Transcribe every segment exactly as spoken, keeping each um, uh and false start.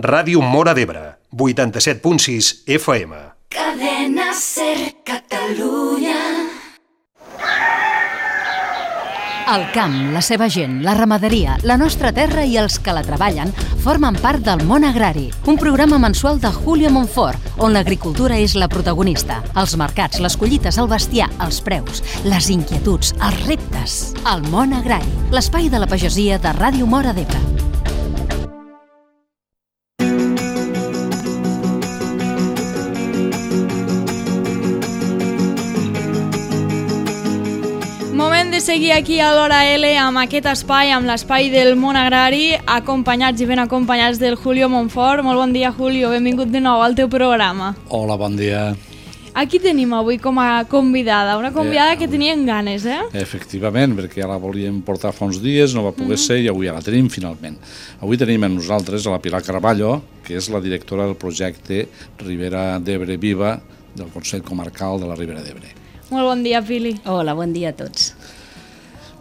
Ràdio Móra d'Ebre, vuitanta-set punt sis F M. Cadena SER Catalunya. El camp, la seva gent, la ramaderia, la nostra terra i els que la treballen formen part del Món Agrari, un programa mensual de Julio Monfort, on l'agricultura és la protagonista. Els mercats, les collites, el bestiar, els preus, les inquietuds, els reptes. El Món Agrari, l'espai de la pagesia de Ràdio Móra d'Ebre. Moment de seguir aquí a l'Hora L amb aquest espai, amb l'espai del món agrari, acompanyats i ben acompanyats del Julio Monfort. Molt bon dia, Julio, benvingut de nou al teu programa. Hola, bon dia. Aquí tenim avui com a convidada, una convidada que tenien ganes, eh? Efectivament, perquè ja la volíem portar fa uns dies, no va poder ser i avui ja la tenim finalment. Avui tenim amb nosaltres a la Pilar Carballo, que és la directora del projecte Ribera d'Ebre Viva del Consell Comarcal de la Ribera d'Ebre. Molt bon dia, Pili. Hola, bon dia a tots.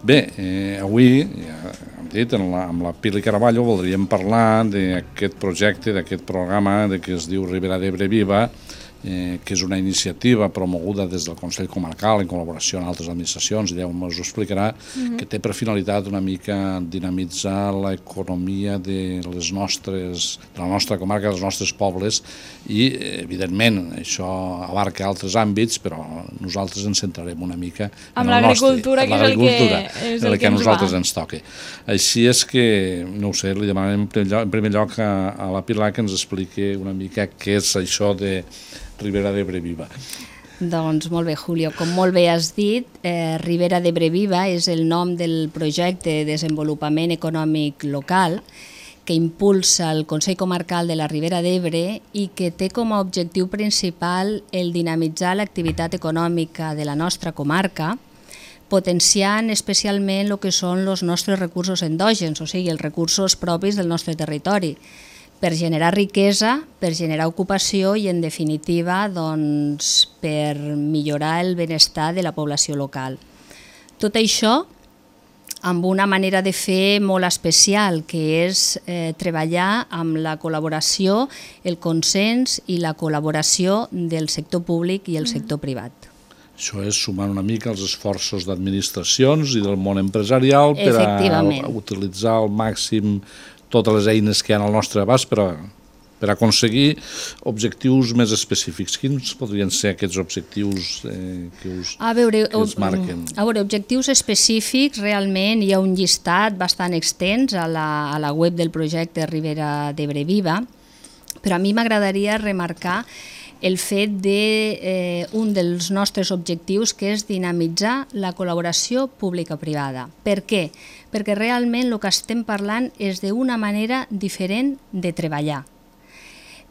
Bé, eh, avui, ja hem dit, amb la, amb la Pili Carballo voldríem parlar d'aquest projecte, d'aquest programa de que es diu Ribera d'Ebre Viva, eh, que és una iniciativa promoguda des del Consell Comarcal en col·laboració amb altres administracions, i Déu ens ho explicarà, uh-huh. que té per finalitat una mica dinamitzar l'economia de les nostres, de la nostra comarca, dels nostres pobles, i evidentment això abarca altres àmbits, però nosaltres ens centrarem una mica en l'agricultura, que és el que, és el el que a ens nosaltres va. ens toca. Així és que, no ho sé, li demanem en primer lloc, en primer lloc a, a la Pilar que ens expliqui una mica què és això de Ribera d'Ebre Viva. Doncs molt bé, Julio. Com molt bé has dit, eh, Ribera d'Ebre Viva és el nom del projecte de desenvolupament econòmic local que impulsa el Consell Comarcal de la Ribera d'Ebre i que té com a objectiu principal el dinamitzar l'activitat econòmica de la nostra comarca, potenciant especialment el que són els nostres recursos endògens, o sigui, els recursos propis del nostre territori, per generar riquesa, per generar ocupació i, en definitiva, doncs, per millorar el benestar de la població local. Tot això amb una manera de fer molt especial, que és eh, treballar amb la col·laboració, el consens i la col·laboració del sector públic i el sector privat. Això és sumant una mica els esforços d'administracions i del món empresarial per a utilitzar al màxim totes les eines que hi ha al nostre abast per a, per aconseguir objectius més específics. Quins podrien ser aquests objectius eh, que, us, a veure, que us marquen? A veure, objectius específics, realment hi ha un llistat bastant extens a la, a la web del projecte Ribera d'Ebre Viva, però a mi m'agradaria remarcar el fet d'un de, eh, dels nostres objectius, que és dinamitzar la col·laboració pública-privada. Per què? Perquè realment el que estem parlant és d'una manera diferent de treballar.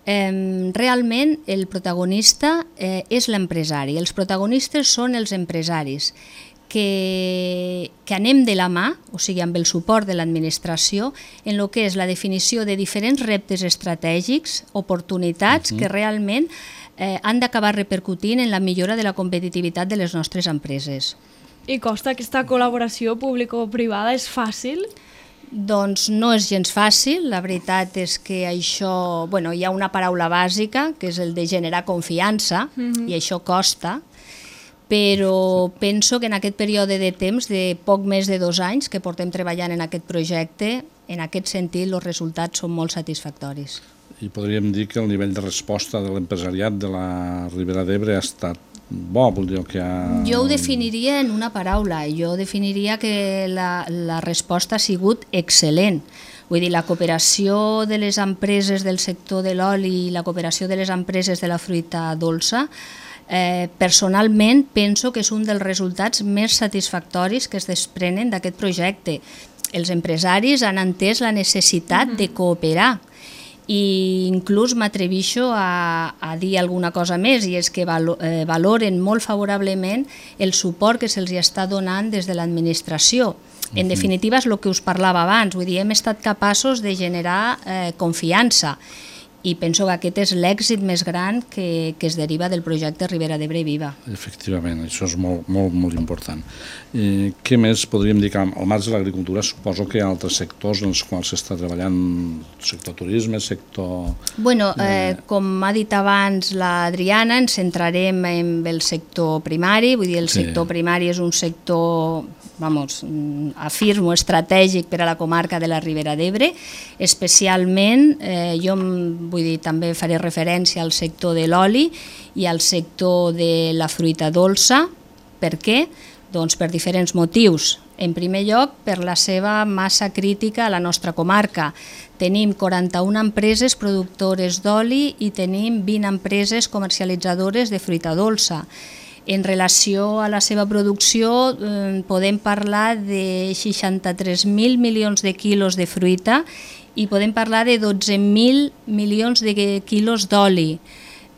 Eh, realment el protagonista eh, és l'empresari, els protagonistes són els empresaris, que, que anem de la mà, o sigui, amb el suport de l'administració, en el que és la definició de diferents reptes estratègics, oportunitats uh-huh. que realment eh, han d'acabar repercutint en la millora de la competitivitat de les nostres empreses. I costa aquesta col·laboració público-privada? És fàcil? Doncs no és gens fàcil, la veritat és que això, bueno, hi ha una paraula bàsica, que és el de generar confiança, uh-huh. i això costa, però penso que en aquest període de temps, de poc més de dos anys que portem treballant en aquest projecte, en aquest sentit els resultats són molt satisfactoris. I podríem dir que el nivell de resposta de l'empresariat de la Ribera d'Ebre ha estat bo, vol dir que ha... Jo ho definiria en una paraula, jo definiria que la, la resposta ha sigut excel·lent. Vull dir, la cooperació de les empreses del sector de l'oli i la cooperació de les empreses de la fruita dolça, eh, personalment penso que és un dels resultats més satisfactoris que es desprenen d'aquest projecte. Els empresaris han entès la necessitat de cooperar, i inclús m'atrevixo a, a dir alguna cosa més, i és que valo, eh, valoren molt favorablement el suport que se'ls està donant des de l'administració. En definitiva és el que us parlava abans, vull dir, hem estat capaços de generar eh, confiança, i penso que aquest és l'èxit més gran que, que es deriva del projecte Ribera d'Ebre Viva. Efectivament, això és molt, molt, molt important. Eh, què més podríem dir? Que al marge de l'agricultura suposo que hi ha altres sectors en els quals s'està treballant, sector turisme, sector... Bueno, eh, com ha dit abans l'Adriana, ens centrarem en el sector primari, vull dir, el Sí. sector primari és un sector, vamos, afirmo, estratègic per a la comarca de la Ribera d'Ebre, especialment, eh, jo vull dir, també faré referència al sector de l'oli i al sector de la fruita dolça. Per què? Doncs per diferents motius. En primer lloc, per la seva massa crítica a la nostra comarca. Tenim quaranta-una empreses productores d'oli i tenim vint empreses comercialitzadores de fruita dolça. En relació a la seva producció, eh, podem parlar de seixanta-tres mil milions de quilos de fruita i podem parlar de dotze mil milions de quilos d'oli.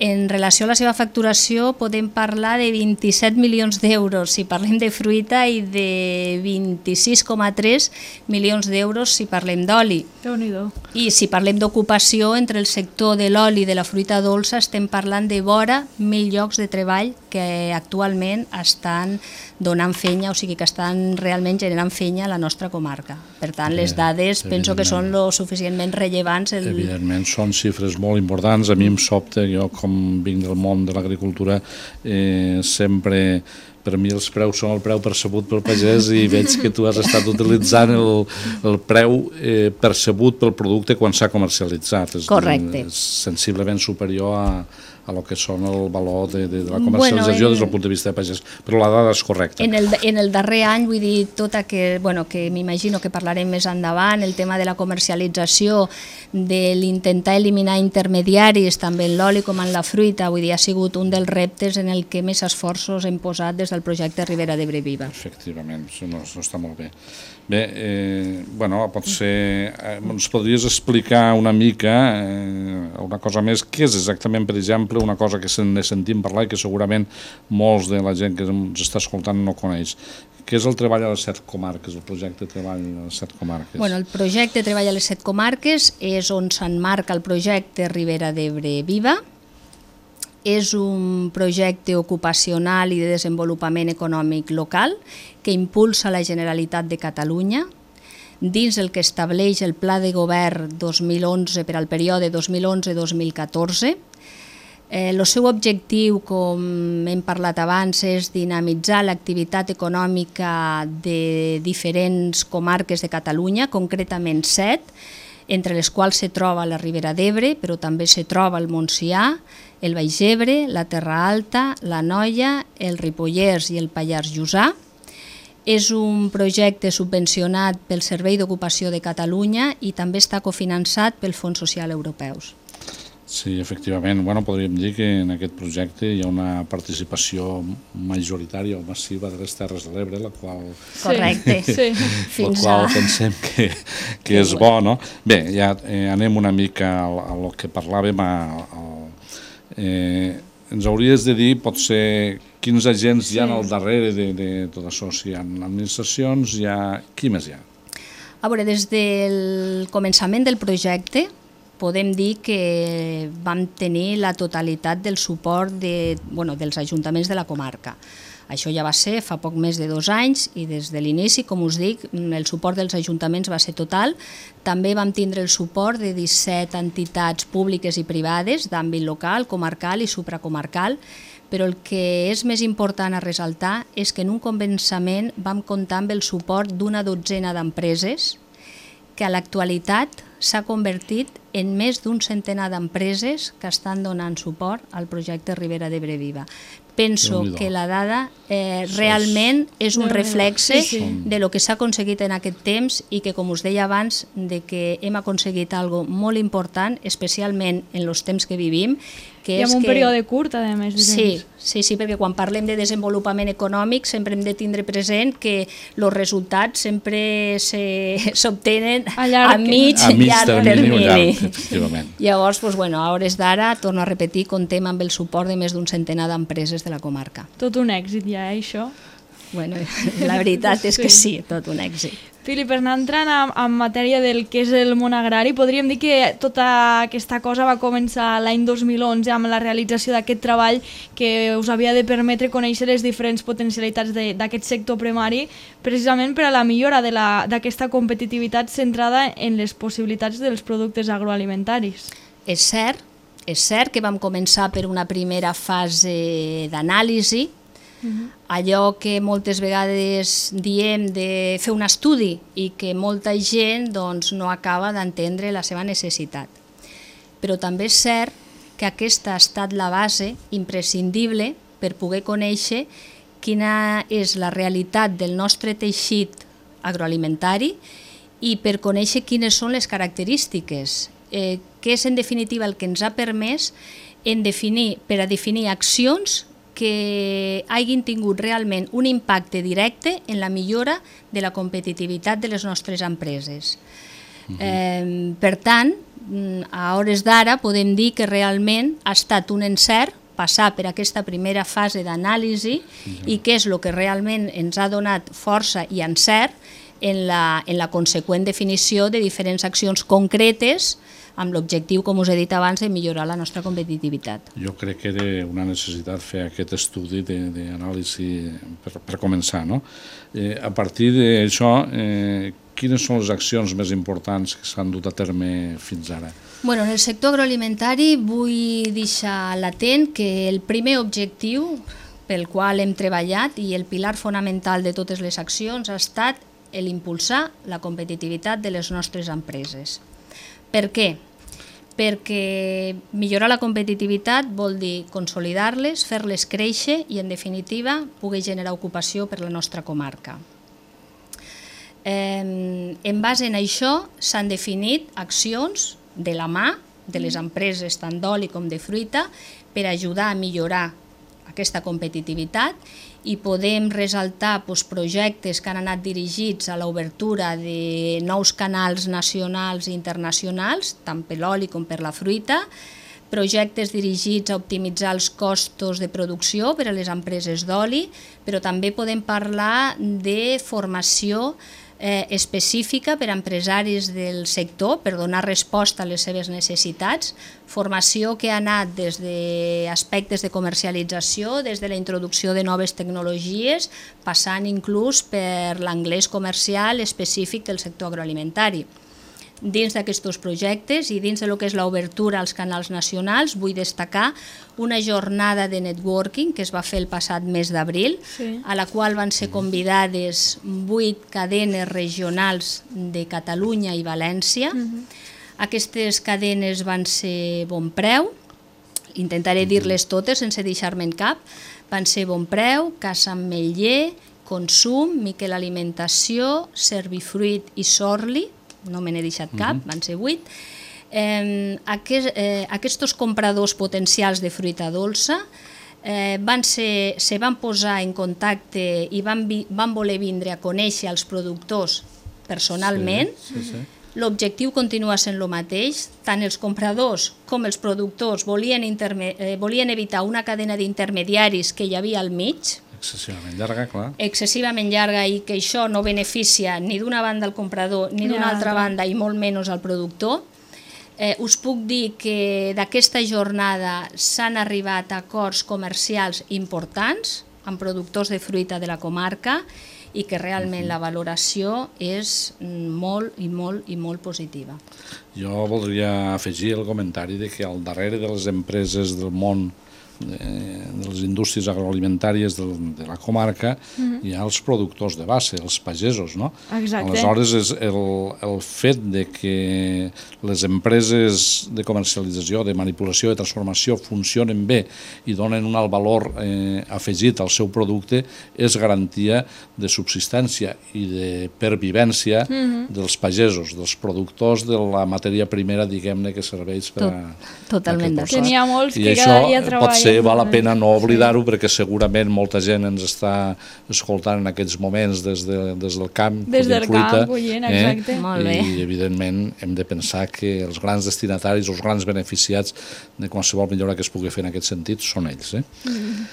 En relació a la seva facturació podem parlar de vint-i-set milions d'euros si parlem de fruita i de vint-i-sis coma tres milions d'euros si parlem d'oli. Déu-n'hi-do. I si parlem d'ocupació, entre el sector de l'oli i de la fruita dolça estem parlant de vora mil llocs de treball que actualment estan donant fenya, o sigui que estan realment generant fenya a la nostra comarca. Per tant, les dades penso que són lo suficientment rellevants. El... Evidentment, són xifres molt importants. A mi em sobta, jo com vinc del món de l'agricultura, eh, sempre... Per mi els preus són el preu percebut pel pagès i veig que tu has estat utilitzant el, el preu eh, percebut pel producte quan s'ha comercialitzat. És, Correcte. És sensiblement superior a, a lo que són el valor de, de, de la comercialització bueno, en, des del punt de vista de pagès, però la dada és correcta. En el, en el darrer any, vull dir, tota que, bueno, que m'imagino que parlarem més endavant, el tema de la comercialització, de l'intentar eliminar intermediaris, també en l'oli com en la fruita, vull dir, ha sigut un dels reptes en el que més esforços hem posat des del projecte Ribera d'Ebre Viva. Efectivament, això no, no està molt bé. Bé, eh, bueno, potser eh, ens podries explicar una mica eh, una cosa més, què és exactament, per exemple, una cosa que se'n sentim parlar i que segurament molts de la gent que ens està escoltant no coneix. Què és el treball a les set comarques, el projecte Treball a les set comarques? Bueno, el projecte Treball a les set comarques és on s'emmarca el projecte Ribera d'Ebre Viva. És un projecte ocupacional i de desenvolupament econòmic local que impulsa la Generalitat de Catalunya dins el que estableix el Pla de Govern dos mil onze per al període dos mil onze a dos mil catorze. El eh, seu objectiu, com hem parlat abans, és dinamitzar l'activitat econòmica de diferents comarques de Catalunya, concretament set, entre les quals se troba la Ribera d'Ebre, però també se troba el Montsià, el Baix Ebre, la Terra Alta, l'Anoia, el Ripollès i el Pallars Jussà. És un projecte subvencionat pel Servei d'Ocupació de Catalunya i també està cofinançat pel Fons Social Europeus. Sí, efectivament. Bueno, podríem dir que en aquest projecte hi ha una participació majoritària o massiva de les Terres de l'Ebre, la qual, Correcte. Sí. la qual pensem que, que és bo, no? Bé, ja eh, anem una mica a, a lo que parlàvem. A, a, eh, ens hauries de dir, potser, quins agents sí. hi ha al darrere de, de tot això. Si hi ha administracions, hi ha... Qui més hi ha? A veure, des del començament del projecte, podem dir que vam tenir la totalitat del suport de, bueno, dels ajuntaments de la comarca. Això ja va ser fa poc més de dos anys i des de l'inici, com us dic, el suport dels ajuntaments va ser total. També vam tindre el suport de disset entitats públiques i privades d'àmbit local, comarcal i supracomarcal, però el que és més important a ressaltar és que en un començament vam comptar amb el suport d'una dotzena d'empreses que a l'actualitat s'ha convertit en més d'un centenar d'empreses que estan donant suport al projecte Ribera d'Ebre Viva. Penso que la dada eh, realment és un reflexe sí, sí. de lo que s'ha aconseguit en aquest temps i que, com us deia abans, de que hem aconseguit algo molt important, especialment en els temps que vivim, que I és en un que... període curt, a més. Sí, sí, sí, perquè quan parlem de desenvolupament econòmic sempre hem de tindre present que els resultats sempre s'obtenen a, a mig, a mig llarg termini. termini. Efectivament. Llavors, doncs, bueno, a hores d'ara, torno a repetir, comptem amb el suport de més d'un centenar d'empreses de la comarca. Tot un èxit ja, eh, això. Bueno, la veritat és que sí, tot un èxit. Filip, per anar entrant en, en matèria del que és el món agrari, podríem dir que tota aquesta cosa va començar l'any dos mil onze amb la realització d'aquest treball que us havia de permetre conèixer les diferents potencialitats d'aquest sector primari, precisament per a la millora d'aquesta competitivitat centrada en les possibilitats dels productes agroalimentaris. És cert, és cert que vam començar per una primera fase d'anàlisi, Uh-huh. allò que moltes vegades diem de fer un estudi i que molta gent doncs, no acaba d'entendre la seva necessitat. Però també és cert que aquesta ha estat la base imprescindible per poder conèixer quina és la realitat del nostre teixit agroalimentari i per conèixer quines són les característiques, eh, que és en definitiva el que ens ha permès en definir, per a definir accions que hagin tingut realment un impacte directe en la millora de la competitivitat de les nostres empreses. Uh-huh. eh, per tant, a hores d'ara podem dir que realment ha estat un encert passar per aquesta primera fase d'anàlisi uh-huh. i que és el que realment ens ha donat força i encert en la, en la conseqüent definició de diferents accions concretes amb l'objectiu, com us he dit abans, de millorar la nostra competitivitat. Jo crec que era una necessitat fer aquest estudi d'anàlisi per, per començar, no? Eh, a partir d'això, eh, quines són les accions més importants que s'han dut a terme fins ara? Bueno, en el sector agroalimentari vull deixar latent que el primer objectiu pel qual hem treballat i el pilar fonamental de totes les accions ha estat l'impulsar la competitivitat de les nostres empreses. Per què? Perquè millorar la competitivitat vol dir consolidar-les, fer-les créixer i, en definitiva, poder generar ocupació per la nostra comarca. Eh, en base en això s'han definit accions de la mà de les empreses tant d'oli com de fruita per ajudar a millorar aquesta competitivitat i podem ressaltar doncs, projectes que han anat dirigits a l'obertura de nous canals nacionals i internacionals, tant per l'oli com per la fruita, projectes dirigits a optimitzar els costos de producció per a les empreses d'oli, però també podem parlar de formació eh, específica per a empresaris del sector per donar resposta a les seves necessitats, formació que ha anat des d'aspectes de comercialització, des de la introducció de noves tecnologies, passant inclús per l'anglès comercial específic del sector agroalimentari. Dins d'aquests projectes i dins del que és l'obertura als canals nacionals vull destacar una jornada de networking que es va fer el passat mes d'abril, sí. a la qual van ser convidades vuit cadenes regionals de Catalunya i València. Uh-huh. Aquestes cadenes van ser Bonpreu, intentaré dir-les totes sense deixar-me'n cap, van ser Bonpreu, Casa Ametller, Consum, Miquel Alimentació, Servifruit i Sorli, no me n'he deixat cap, uh-huh. van ser vuit. Eh, aquest, eh, aquests compradors potencials de fruita dolça eh, van ser, se van posar en contacte i van, vi, van voler vindre a conèixer els productors personalment. Sí, sí, sí. L'objectiu continua sent el mateix, tant els compradors com els productors volien, interme, eh, volien evitar una cadena d'intermediaris que hi havia al mig, excessivament llarga, clar. Excessivament llarga i que això no beneficia ni d'una banda al comprador ni d'una altra banda i molt menys al productor. Eh, us puc dir que d'aquesta jornada s'han arribat a acords comercials importants amb productors de fruita de la comarca i que realment la valoració és molt i molt i molt positiva. Jo voldria afegir el comentari de que al darrere de les empreses del món de, de les indústries agroalimentàries de, de la comarca uh-huh. hi ha els productors de base, els pagesos, no? Exacte. Aleshores, és el, el fet de que les empreses de comercialització, de manipulació, de transformació funcionen bé i donen un alt valor eh, afegit al seu producte és garantia de subsistència i de pervivència uh-huh. dels pagesos, dels productors de la matèria primera, diguem-ne, que serveix per a... Tot, totalment d'acord. Que n'hi ha molts I que cada dia treballen. Pot ser, val la pena no oblidar-ho, perquè segurament molta gent ens està escoltant en aquests moments des, de, des del camp, des del fruita, camp, collint, exacte. Eh? Molt bé. I evidentment hem de pensar que els grans destinataris, els grans beneficiats de qualsevol millora que es pugui fer en aquest sentit són ells. Eh? Mm.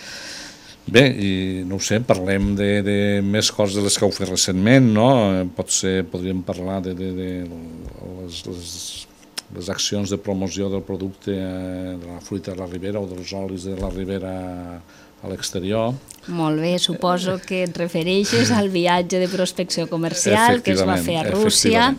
Bé, i no ho sé, parlem de, de més coses de les que heu fet recentment, no? Potser podríem parlar de, de, de les, les, les accions de promoció del producte de la fruita de la Ribera o dels olis de la Ribera a l'exterior. Molt bé, suposo que et refereixes al viatge de prospecció comercial que es va fer a Rússia.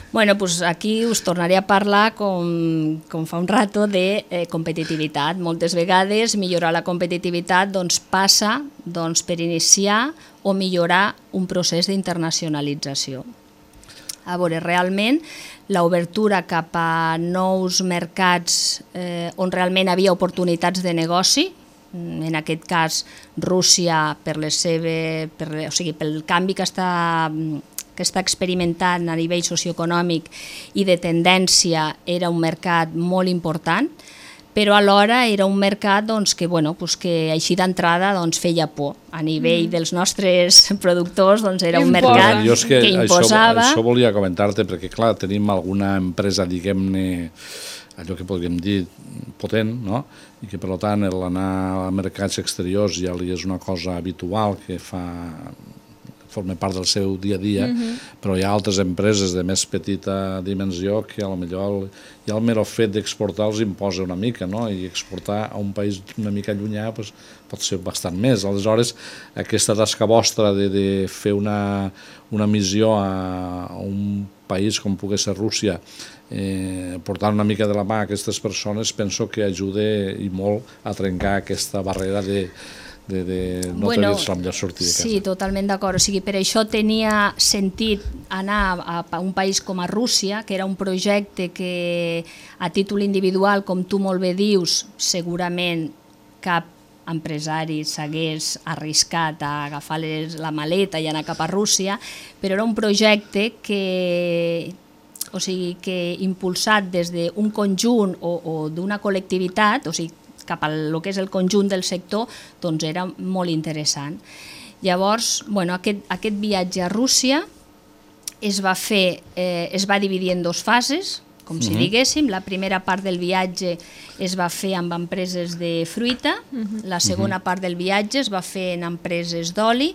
Bueno, doncs aquí us tornaré a parlar, com, com fa un rato, de eh, competitivitat. Moltes vegades millorar la competitivitat doncs, passa doncs, per iniciar o millorar un procés d'internacionalització. A veure, realment, l'obertura cap a nous mercats eh, on realment havia oportunitats de negoci, en aquest cas Rússia per les seves, per, o sigui, pel canvi que està que està experimentant a nivell socioeconòmic i de tendència, era un mercat molt important, però alhora era un mercat doncs, que, bueno, doncs, que així d'entrada doncs, feia por. A nivell mm. dels nostres productors doncs, era un mercat jo és que, que imposava... Això, això volia comentar-te, perquè clar, tenim alguna empresa, diguem-ne, allò que podríem dir potent, no? I que per tant l'anar a mercats exteriors ja li és una cosa habitual que fa... forma part del seu dia a dia, uh-huh. però hi ha altres empreses de més petita dimensió que a lo millor ja el mero fet d'exportar els imposa una mica, no? I exportar a un país una mica llunyà pues, pot ser bastant més. Aleshores, aquesta tasca vostra de, de fer una, una missió a, a un país com pugui ser Rússia, eh, portant una mica de la mà a aquestes persones, penso que ajuda i molt a trencar aquesta barrera de de, de no bueno, tenir la millor sortida de casa. Sí, totalment d'acord. O sigui, per això tenia sentit anar a, a un país com a Rússia, que era un projecte que a títol individual, com tu molt bé dius, segurament cap empresari s'hagués arriscat a agafar les, la maleta i anar cap a Rússia, però era un projecte que, o sigui, que impulsat des d'un conjunt o, o d'una col·lectivitat, o sigui, cap al que és el conjunt del sector, doncs era molt interessant. Llavors, bueno, aquest, aquest viatge a Rússia es va fer, eh, es va dividir en dues fases, com si uh-huh. diguéssim. La primera part del viatge es va fer amb empreses de fruita, uh-huh. la segona uh-huh. part del viatge es va fer en empreses d'oli.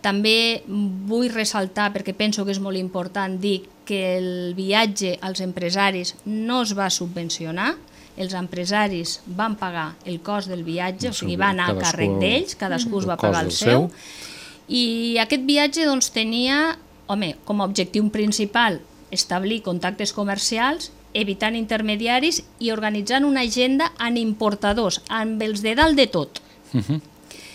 També vull ressaltar, perquè penso que és molt important dir que el viatge als empresaris no es va subvencionar, els empresaris van pagar el cost del viatge, o sigui, va anar a càrrec d'ells, cadascú es va pagar el seu, i aquest viatge doncs, tenia, home, com a objectiu principal establir contactes comercials, evitant intermediaris i organitzant una agenda amb importadors, amb els de dalt de tot. Uh-huh.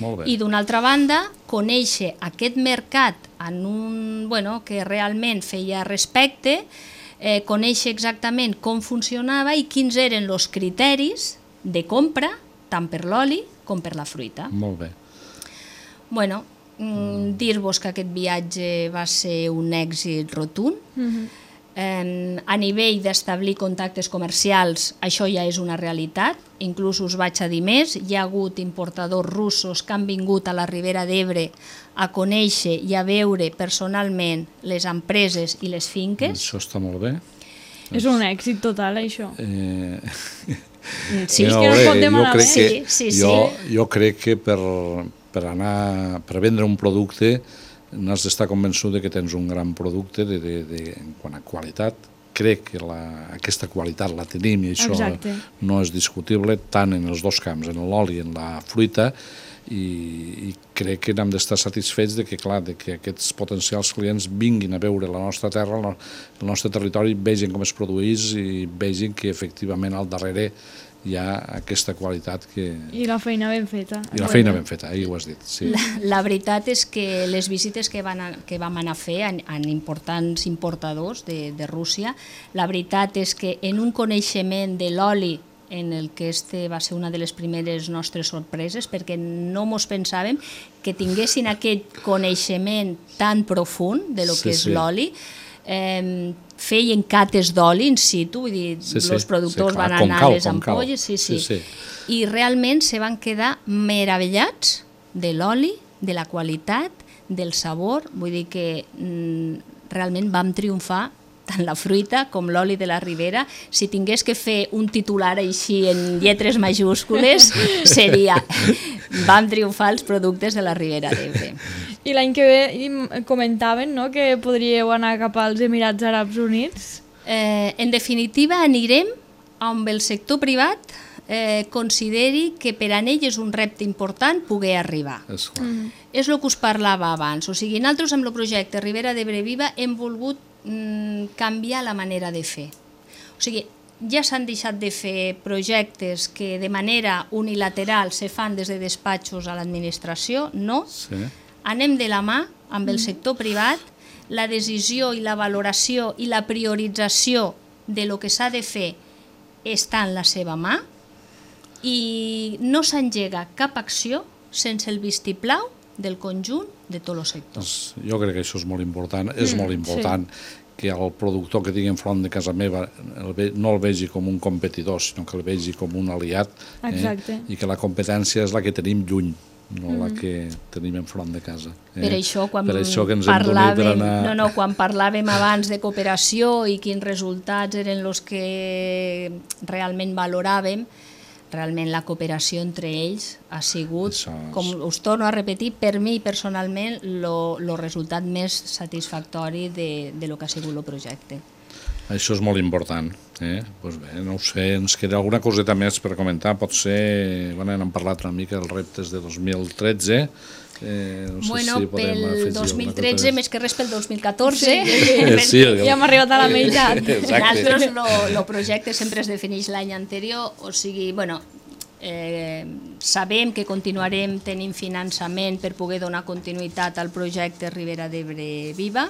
Molt bé. I d'una altra banda, conèixer aquest mercat en un, bueno, que realment feia respecte, Eh, conèixer exactament com funcionava i quins eren els criteris de compra, tant per l'oli com per la fruita. Molt bé. Bueno, mm, dir-vos que aquest viatge va ser un èxit rotund. Uh-huh. eh, a nivell d'establir contactes comercials, això ja és una realitat. Inclús us vaig a dir més, hi ha hagut importadors russos que han vingut a la Ribera d'Ebre a conèixer i a veure personalment les empreses i les finques. Això està molt bé. És un èxit total, això. Eh... Sí, és que no es pot demanar més. Sí, sí, sí. Jo, jo crec que per, per, anar, per vendre un producte n'has d'estar convençut que tens un gran producte de, de, de, en quant a qualitat. Crec que la, aquesta qualitat la tenim i això Exacte. No és discutible tant en els dos camps, en l'oli i en la fruita, i, i crec que n'hem d'estar satisfets de que, clar, de que aquests potencials clients vinguin a veure la nostra terra, el nostre territori, vegin com es produeix i vegin que efectivament al darrere hi ha aquesta qualitat que... I la feina ben feta. I la feina ben feta, ahir ho has dit. Sí. La, la veritat és que les visites que, van a, que vam anar a fer en, en importants importadors de, de Rússia, la veritat és que en un coneixement de l'oli, en el que este va ser una de les primeres nostres sorpreses, perquè no mos pensàvem que tinguessin aquest coneixement tan profund de lo sí, que és sí. l'oli. Eh, feien cates d'oli in situ, vull dir, sí, sí, els productors sí, van anar a les ampolles, sí, sí. Sí, sí. I realment se van quedar meravellats de l'oli, de la qualitat, del sabor, vull dir que mm, realment vam triomfar tant la fruita com l'oli de la Ribera. Si tingués que fer un titular així en lletres majúscules, seria vam triomfar els productes de la Ribera d'Ebre. I l'any que ve comentaven, no?, que podríeu anar cap als Emirats Àrabs Units. Eh, en definitiva, anirem amb el sector privat eh, consideri que per a ell és un repte important poder arribar. És clar. Mm. És el que us parlava abans. O sigui, nosaltres amb el projecte Ribera d'Ebre Viva hem volgut mm, canviar la manera de fer. O sigui, ja s'han deixat de fer projectes que de manera unilateral se fan des de despatxos a l'administració, no. Sí. Anem de la mà amb el sector privat, la decisió i la valoració i la priorització de lo que s'ha de fer està en la seva mà i no s'engega cap acció sense el vistiplau del conjunt de tot el sector. Doncs jo crec que això és molt important, és Mm, molt important sí. que el productor que tingui enfront de casa meva el ve, no el vegi com un competidor, sinó que el vegi com un aliat, Exacte. eh? I que la competència és la que tenim lluny, no mm. la que tenim enfront de casa. Eh? Per això, quan per això que ens hem parlàvem, per anar... no, no, quan parlàvem abans de cooperació i quins resultats eren els que realment valoràvem, realment la cooperació entre ells ha sigut, Això és... com us torno a repetir, per mi personalment el resultat més satisfactori de, de lo que ha sigut el projecte. Això és molt important. Eh? Pues bé, no ho sé, ens queda alguna coseta més per comentar, potser, bueno, hem parlat una mica dels reptes de dos mil tretze, eh, no sé bueno, si podem pel afegir dos mil alguna tretze, cosa més que res pel dos mil catorze, Eh, sí, Ja hem arribat a la meitat. nosaltres el projecte sempre es defineix l'any anterior, o sigui, bueno, eh, sabem que continuarem tenint finançament per poder donar continuïtat al projecte Ribera d'Ebre Viva.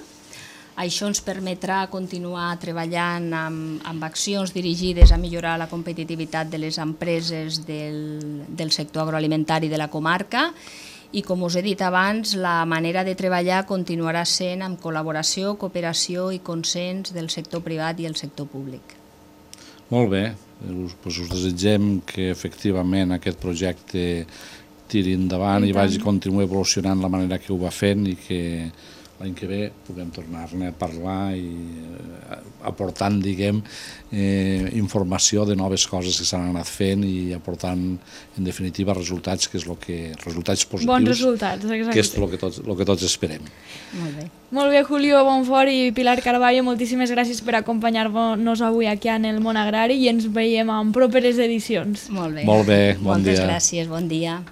Això ens permetrà continuar treballant amb, amb accions dirigides a millorar la competitivitat de les empreses del, del sector agroalimentari de la comarca i, com us he dit abans, la manera de treballar continuarà sent amb col·laboració, cooperació i consens del sector privat i el sector públic. Molt bé, us, doncs us desitgem que efectivament aquest projecte tiri endavant i, i vagi continuar evolucionant la manera que ho va fent i que l'any que ve puguem tornar-ne a parlar i eh, aportant, diguem, eh, informació de noves coses que s'han anat fent i aportant, en definitiva, resultats, que és el que, resultats positius, Bons resultats, exacte. que és el que tots, el que tots esperem. Molt bé. Molt bé, Julio Bonfort i Pilar Carballo, moltíssimes gràcies per acompanyar-nos avui aquí en el món agrari i ens veiem en properes edicions. Molt bé. Molt bé, bon Moltes dia. gràcies, bon dia.